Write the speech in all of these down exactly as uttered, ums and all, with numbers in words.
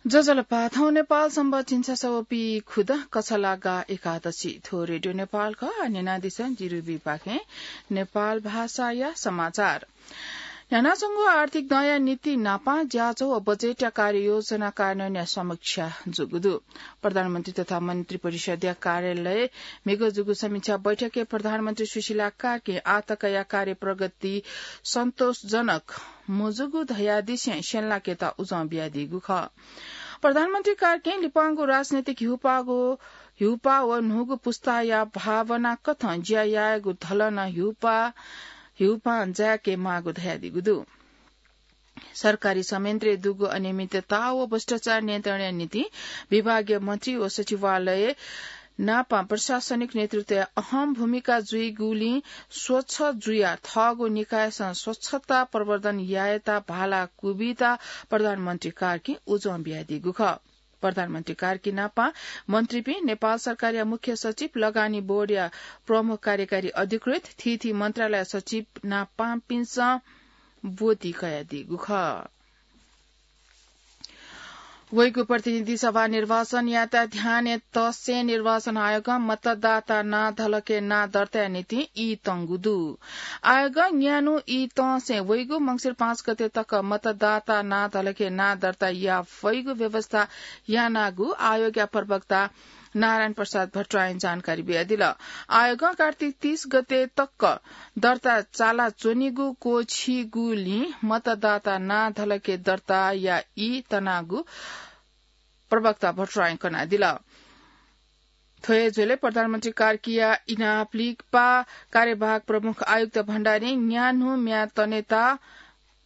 ज्वजलपा, थौं नेपाल संवत् झिंछसः व पीखुदँ कछलागा एकादशी। थ्व रेडियो नेपाल खः। न्यनादिसँ जिरुबीपाखें नेपाल भाषाया समाचार। न्ह्यानाच्वंगु आर्थिक दँया नीति नापं ज्याझ्वः व बजेटया कार्ययोजना कार्यान्वयनया समीक्षा जूगु दु। प्रधानमन्त्री तथा मन्त्रिपरिषद्या कार्यालय म्हिगः जूगु समीक्षा बैठकय् प्रधानमन्त्री सुशीला कार्कीं आःतकया कार्यप्रगति सन्तोषजनक मजूगु धयादिसें स्यंलाकेत उजं बियादीगु खः। प्रधानमन्त्री कार्कीं लिपांगु राजनैतिक हिउपाःगु, हिउपाः व न्हूगु पुस्ताया भावना कथं ज्या यायेगु धलन हिउपाः, हिउपां जाय्के माःगु धयादीगु दु। सरकारी संयन्त्रय् दुगु अनियमितता व भ्रष्टाचार नियन्त्रणया निंतिं विभागीय मन्त्री व सचिवालय नापं प्रशासनिक नेतृत्वया अहम भूमिका जुइगुलिं स्वच्छ जुयाः थःगु निकायसं स्वच्छता प्रवर्धन यायेत भाला क्वबियेत प्रधानमन्त्री कार्कीं उजं बियादीगु खः। प्रधानमन्त्री कार्की नापं मन्त्रीपिं, नेपाल सरकारया मुख्य सचिव, लगानी बोर्डया प्रमुख कार्यकारी अधिकृत, थीथी मन्त्रालय सचिव नापंपिन्सं ब्वति कयादीगु खः। वइगु प्रतिनिधि सभा निर्वाचनयात ध्यानय् तसें निर्वाचन आयोगं मतदाता नां धलखय् नां दर्ताया निंतिं ई तंगु दु। आयोगं न्यान्हु ई तसें वइगु मंसिर पाँच गते तक मतदाता नां धलखय् नां दर्ता याये फइगु व्यवस्था यानागु आयोगया प्रवक्ता नारायण प्रसाद भट्टराईं जानकारी बियादिल। आयोगं कार्तिक तीस गते तक दर्ता चाला च्वनीगु क्वःछिगुलिं मतदाता नां धलखय् दर्ताया ई तनागु प्रवक्ता भट्टराईं कनादिल। थ्व हे झ्वलय् प्रधानमन्त्री कार्कीया इनाप लिपा कार्यवाहक प्रमुख आयुक्त भण्डारीं न्यान्हु म्याद तनेत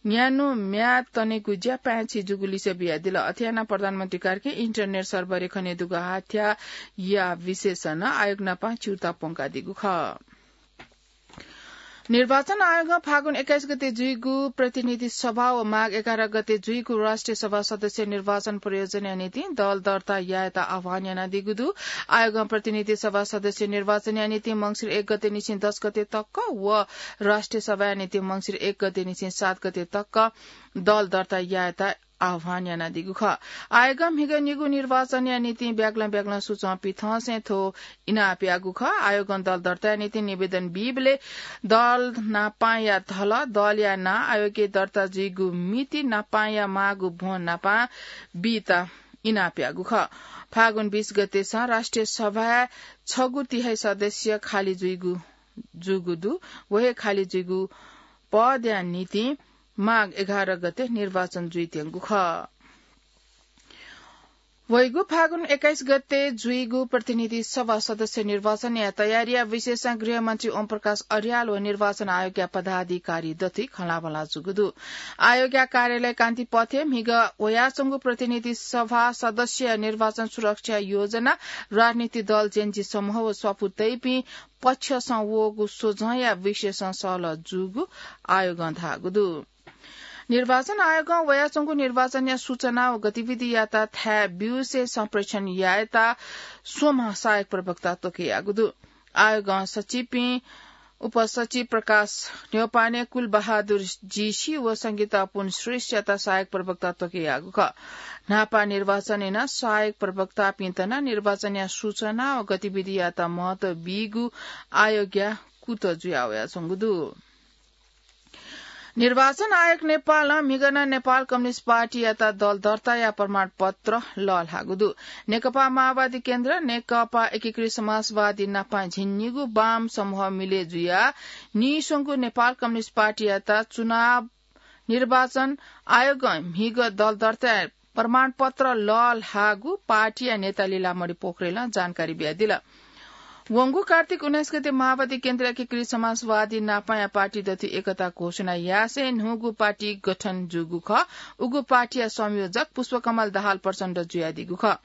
न्यान्हु म्याद तनेगु ज्या पाय्छि जूगु लिसे बियादिल। अथे यानाः प्रधानमन्त्री कार्कीं इन्टरनेट सर्भरय् खनेदुगु हाथ्याःया विषयस नं आयोग नाप च्यूताः प्वंकादीगु खः। निर्वाचन आयोगं फागुन एक्काइस गते जुइगु प्रतिनिधि सभा व माघ एघार गते जुइगु राष्ट्रिय सभा सदस्य निर्वाचन प्रयोजनया निंतिं दल दर्ता यायेत आह्वान यानादीगु दु। आयोगं प्रतिनिधि सभा सदस्य निर्वाचनया निंतिं मंसिर एक गते निसें दस गते तक व राष्ट्रिय सभाया निंतिं मंसिर एक गते निसें सात गते तक दल दर्ता यायेत आह्वान यानादीगु खः। आयोगं म्हिगः निगू निर्वाचनया निंतिं ब्यागलं ब्यागलं सूचं पिथंसें थ्व इनाप याःगु खः। आयोगं दल दर्ताया निंतिं निवेदन बीबलय् दल नापांया धल, दलया नां, आयोगय् दर्ता जुइगु मिति, नापांया माःगु भ्वं नापं बीत इनाप याःगु खः। फागुन बीस गतेसं राष्ट्रिय सभाय् छगू तिहाइ सदस्य खाली जुइगु, जूगु दु। व हे खाली जुइगु पदया निंतिं माघ एघार गते निर्वाचन जुइत्यंगु खः। वइगु फागुन एक्काइस गते जुइगु प्रतिनिधि सभा सदस्य निर्वाचनया तयारीया विषयसं गृहमन्त्री ओम प्रकाश अर्याल व निर्वाचन आयोगया पदाधिकारी दथुइ खँल्हाबल्हा जूगु दु। आयोगया कार्यालय कान्तिपथय् म्हिगः वयाच्वंगु प्रतिनिधि सभा सदस्य निर्वाचन सुरक्षा योजना, राजनीतिक दल, जेनजी समूह व स्वापू तइपिं पक्षसं वःगु स्वझंया विषयसं सहलह जूगु आयोगं धाःगु दु। निर्वाचन आयोगं वयाच्वंगु निर्वाचनया सूचना व गतिविधियात थाय् ब्यूसे संप्रेषण यायेत स्वम्ह सहायक प्रवक्ता त्वकयागु दु। आयोगं सचिवपिं उपसचिव प्रकाश न्यौपाने, कुलबहादुर जीसी व संगीता पुन श्रेष्ठयात सहायक प्रवक्ता त्वकयागु खः। न्हापा निर्वाचनय् नं सहायक प्रवक्तापिन्त नं निर्वाचनया सूचना व गतिविधियात महत्व बीगु आयोगया कुतः जुयावयाच्वंगु दु। निर्वाचन आयोग नेपालं म्हिगः नं नेपाल कम्युनिस्ट पार्टीयात दल दर्ताया प्रमाणपत्र लःल्हाःगु दु। नेकपा माओवादी केन्द्र, नेकपा एकीकृत समाजवादी नापं झिंनिगू वाम समूह मिले जुयाः नीस्वंगू नेपाल कम्युनिस्ट पार्टीयात चुनाव निर्वाचन आयोगं म्हिगः दल दर्ताया प्रमाणपत्र लःल्हाःगु पार्टीया नेता लीलामणि पोखरेलं जानकारी बियादिल। वंगु कार्तिक उन्नाइस गते माओवादी केन्द्र एकीकृत समाजवादी नापांया पार्टी दथुइ एकता घोषणा यासें न्हूगु पार्टी गठन जूगु खः। उगु पार्टीया संयोजक पुष्पकमल दाहाल प्रचण्ड जुयादीगु खः।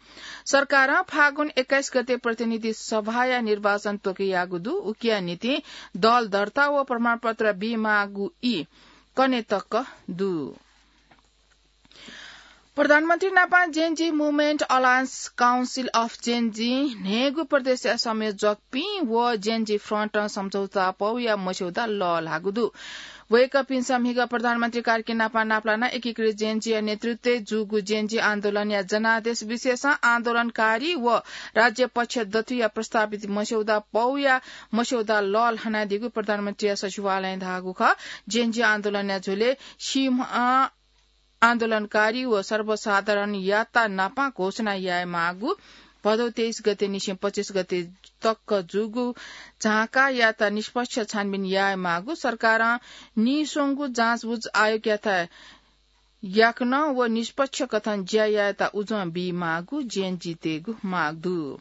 सरकारं फागुन एक्काइस गते प्रतिनिधि सभाया निर्वाचन त्वकयाःगु दु। उकिया निंतिं दल दर्ता व प्रमाणपत्र बीमाःगु ई कन्हय् तक दु। प्रधानमन्त्री नापं Gen Z Movement Alliance Council of Gen Z न्हय्गू प्रदेशया संयोजकपिं व Gen Z Front सम्झौता पौया मस्यौदा लःल्हाःगु दु। वय्कःपिन्सं म्हिगः प्रधानमन्त्री कार्की नापं नापलानाः एकीकृत Gen Z या नेतृत्वय् जूगु Gen Z आन्दोलनया जनादेश विशेषं आन्दोलनकारी व राज्य पक्ष दथुया प्रस्तावित मस्यौदा पौया मस्यौदा लःल्हानादीगु प्रधानमन्त्रीया सचिवालयं धाःगु खः। Gen Z आन्दोलनया झ्वलय् सिंह आन्दोलनकारी व सर्वसाधारणयात नापं घोषणा यायेमाःगु, भदौ तेइस गते निसें पच्चिस गते तक जूगु झाँकायात निष्पक्ष छानबिन यायेमाःगु, सरकारं नीस्वंगू जाँचबुझ आयोगयात याकनं व निष्पक्ष कथं ज्या यायेत उजं बीमाःगु Gen Z तय्गु माग दु।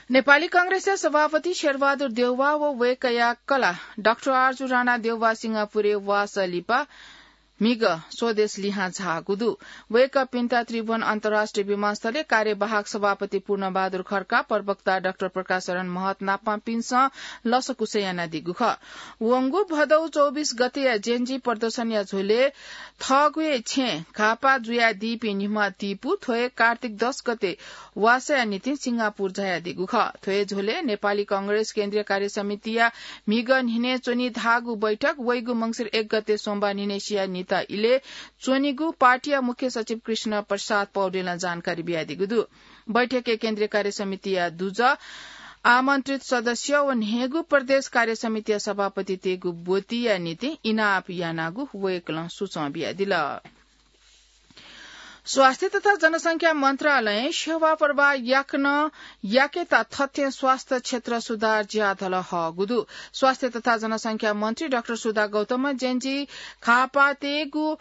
नेपाली कांग्रेसया सभापति शेरबहादुर देउवा व वय्कःया कलाः डाक्टर आरजु राणा देउवा सिंगापुरय् वासः लिपा म्हिगः स्वदेश लिहां झाःगु दु। वय्कःपिन्त त्रिभुवन अन्तर्राष्ट्रिय विमानस्थलय् कार्यवाहक सभापति पूर्णबहादुर खड्का, प्रवक्ता डाक्टर प्रकाश शरण महत नापंपिन्सं लसकुस यानादीगु खः। वंगु भदौ चौबिस गतेया Gen Z प्रदर्शनया झ्वलय् थःगु हे छेँय् घाःपाः जुयादीपिं निम्ह तिपू थ्व हे कार्तिक दस गते वासःया निंतिं सिंगापुर झायादीगु खः। थ्व हे झ्वलय् नेपाली कांग्रेस केन्द्रीय कार्य समितिया म्हिगः न्हिनय् च्वनी धाःगु बैठक वइगु मंसिर एक गते सोमबार न्हिनय्सिया न्हिता इलय् च्वनीगु पार्टीया मुख्य सचिव कृष्ण प्रसाद पौडेलं जानकारी बियादीगु दु। बैठकय् केन्द्रीय कार्य समितिया दुजः, आमन्त्रित सदस्य व न्हय्गू प्रदेश कार्य समितिया सभापति तय्गु ब्वतिया निंतिं इनाप यानागु वय्कलं सुचं बियादिल। स्वास्थ्य तथा जनसंख्या मन्त्रालयं सेवा प्रवाह याकनं याकेत थथें स्वास्थ्य क्षेत्र सुधार ज्याधल हःगु दु। स्वास्थ्य तथा जनसंख्या मन्त्री डाक्टर सुधा गौतमं Gen Z घाःपाः तय्गु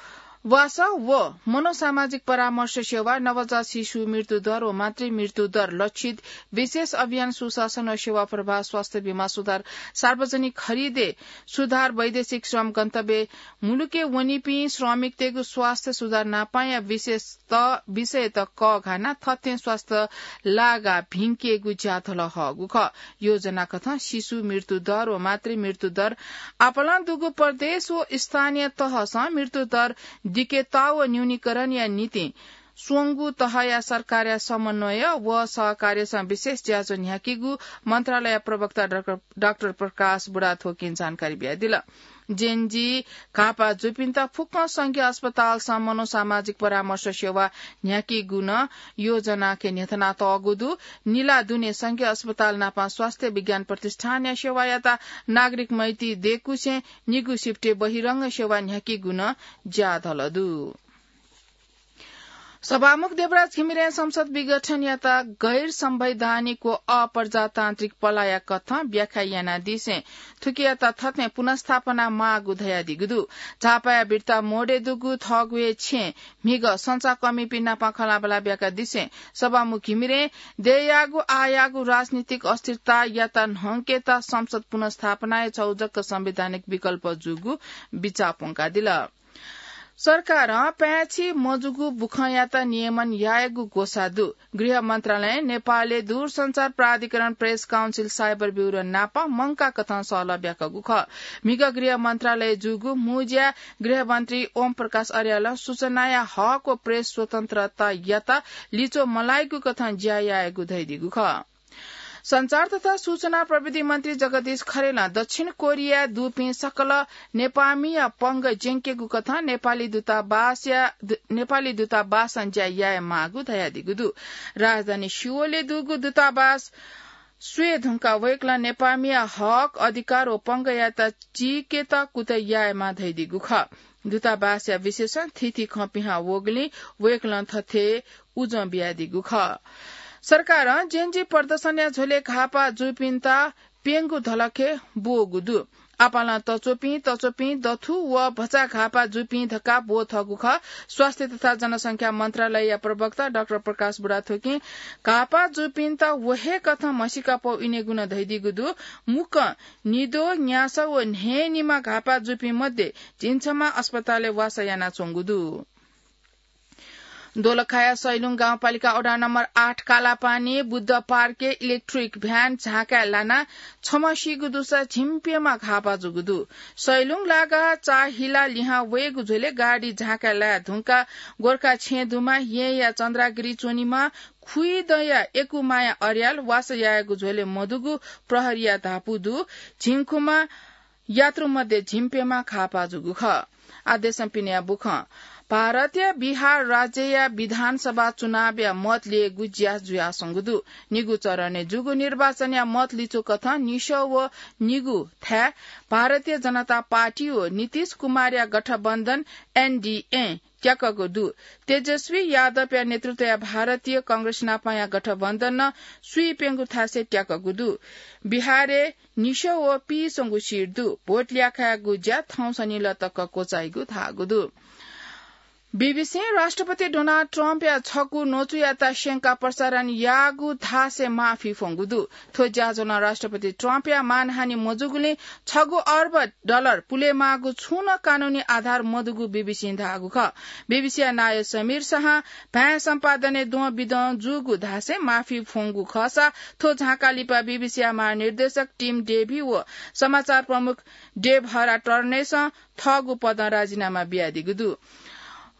वासः व मनोसामाजिक परामर्श सेवा, नवजात शिशु मृत्यु दर व मातृ मृत्यु दर, लक्षित विशेष अभियान, सुशासन व सेवा प्रवाह, स्वास्थ्य बीमा सुधार, सार्वजनिक खरिदय् सुधार, वैदेशिक श्रम गन्तव्य मुलुकय् वनीपिं श्रमिकतय्गु स्वास्थ्य सुधार नापंया विशेषत विषयत कःघानाः थथें स्वास्थ्य लागा भिंकेगु ज्याधल हःगु खः। योजना कथं शिशु मृत्यु दर व मातृ मृत्यु दर आपालं दुगु प्रदेश व स्थानीय तहसं मृत्यु दर दिकेत व न्यूनीकरणया निंतिं स्वंगू तहया सरकारया समन्वय व सहकार्यसं विशेष ज्याझ्वः न्ह्याकीगु मन्त्रालय प्रवक्ता डाक्टर, डाक्टर प्रकाश बुढाथोकीं जानकारी बियादिल। Gen Z घाःपाः जूपिन्त फुक्कं संघीय अस्पतालसं मनोसामाजिक परामर्श सेवा न्ह्याकीगु नं योजनाय् न्ह्यथनातःगु दु। निला दुने संघीय अस्पताल नापं स्वास्थ्य विज्ञान प्रतिष्ठानया सेवायात नागरिक मैत्री दय्कुसें निगू सिफ्टय् बहिरंग सेवा न्ह्याकीगु नं ज्याधल दु। सभामुख देवराज घिमिरें संसद विघटनयात गैर संवैधानिक व अप्रजातान्त्रिक पलाया कथं व्याख्या यानादिसें थुकियात थथें पुनर्स्थापना माःगु धयादीगु दु। झापाया बिर्ता मोडय् दुगु थःगु हे छेँय् म्हिगः संचारकर्मीपिं नाप खँल्हाबल्हा ब्याकादिसें सभामुख घिमिरें दयेयाःगु आःयाःगु राजनीतिक अस्थिरतायात न्हंकेत संसद पुनर्स्थापनाया छगू जक संवैधानिक विकल्प जूगु बिचाः प्वंकादिल। सरकारं पाय्छि मजूगु बुखँयात नियमन यायेगु ग्वसाः दु। गृह मन्त्रालयं नेपालय् दूरसञ्चार प्राधिकरण, प्रेस काउन्सिल, साइबर ब्युरो नाप मंकाकथं सहलह ब्याकागु खः। म्हिगः गृह मन्त्रालयय् जूगु मू ज्याय् गृहमन्त्री ओम प्रकाश अर्यालं सूचनाया हक व प्रेस स्वतन्त्रतायात लिच्वः मलाइगु कथं ज्या यायेगु धयादीगु खः। सञ्चार तथा सूचना प्रविधि मन्त्री जगदीश खरेलं दक्षिण कोरियाय् दुपिं सकल नेपाःमिया पंगः ज्यंकेगु कथं नेपाली दूतावासया, दु-, नेपाली दूतावासं ज्या यायेमाःगु धयादीगु दु। राजधानी सिओलय् दुगु दूतावास स्वये धुंकाः वय्कलं नेपाःमिया हक, अधिकार व पंगःयात चीकेत कुतः यायेमाः धयादीगु खः। दूतावासया विशेषं थीथी खँ पिहां वःगुलिं वय्कलं थथे उजं बियादीगु खः। सरकारं जेनजी प्रदर्शनया झ्वलय् घाःपाः जूपिन्त प्यंगू धलखय् ब्वःगु दु। आपालं तच्वःपिं, तच्वःपिं, दथु व भचा घाःपाः जूपिं धकाः ब्वःथःगु खः। स्वास्थ्य तथा जनसंख्या मन्त्रालयया प्रवक्ता डाक्टर प्रकाश बुढाथोकीं घाःपाः जूपिन्त व हे कथं म्हसीका पौ इनेगु नं धयादीगु दु। मुक्कं निद्वः, न्यासः व न्हय्निम्ह घाःपाः जूपिं मध्ये झिंछम्ह अस्पतालय् वासः यानाच्वंगु दु। दोलखाया सैलुङ गाउँपालिका वडा नम्बर आठ कालापानी बुद्ध पार्कय् इलेक्ट्रिक भ्यान झाँकाय् लानाः छम्ह सीगु दुसा झिंप्यम्ह घाःपाः जूगु दु। सैलुङ लागाः चाःहिला लिहां वयेगु झ्वलय् गाडी झाँकाय् लाये धुंकाः गोर्खा छेँ दुमा येँया चन्द्रागिरी च्वनीम्ह खुइदँया यकुमाया अर्याल वासः यायेगु झ्वलय् मदुगु प्रहरीया धापू दु। झिंखुम्ह यात्रु मध्ये झिंप्यम्ह घाःपाः जूगु खः। आदेशं पिनेया बुखँ। भारतया बिहार राज्यया विधानसभा चुनावया मत ल्ययेगु ज्या जुयाच्वंगु दु। निगू चरणय् जूगु निर्वाचनया मत लिचुकथं निसः व निगू थाय् भारतीय जनता पार्टी व नीतीश कुमारया गठबन्धन एनडीए त्याकःगु दु। तेजस्वी यादवया नेतृत्वया भारतीय कांग्रेस नापंया गठबन्धनं स्वीप्यंगू थासय् त्याकःगु दु। बिहारय् निसः व पीच्वंगु सिट दु। भोट ल्याखायेगु ज्या थौं शनिलः तक क्वचाइगु धाःगु दु। बीबीसीं राष्ट्रपति डोनाल्ड ट्रम्पया छगू न्वचुयात स्यंकाः प्रसारण याःगु धासय् माफी फ्वंगु दु। थ्व ज्याझ्वलं राष्ट्रपति ट्रम्पया मानहानि मजूगुलिं छगू अर्ब डलर पुलेमाःगु छुं नं कानूनी आधार मदुगु बीबीसीं धाःगु खः। बीबीसीया नायः समीर शाहं भाय् सम्पादनय् द्वंबिद्वं जूगु धासय् माफी फ्वंगु खःसा थ्व झांकाः लिपा बीबीसीया महानिर्देशक टिम डेभी व समाचार प्रमुख डेभ हरा टर्नेसं थःगु पदं राजीनामा बियादीगु दु।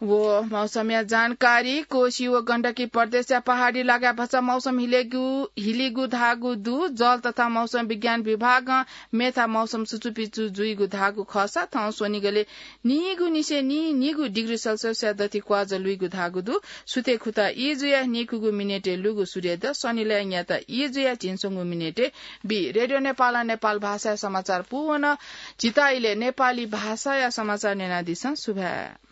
व मौसमया जानकारी। कोशी व गण्डकी प्रदेशया पहाडी लागाय् भचा मौसम हिलेगु, हिलीगु धाःगु दु। जल तथा मौसम विज्ञान विभागं मेथा मौसम सुचुपिचु जुइगु धाःगु खःसा थौं स्वनिगलय् नीगु निसें नीनिगू डिग्री सेल्सियसया दथि क्वाजः लुइगु धाःगु दु। सुथय् खुता ई जुयाः नीखुगू मिनेटय् लुगु सूर्योदय, शनिलय् न्याता ई जुयाः झिंस्वंगू मिनेटय् बी। रेडियो नेपालं नेपाल भाषाया समाचार पूवन। झीत इलय् नेपाली भाषाया समाचार न्यनादिसँ। सुभाय्।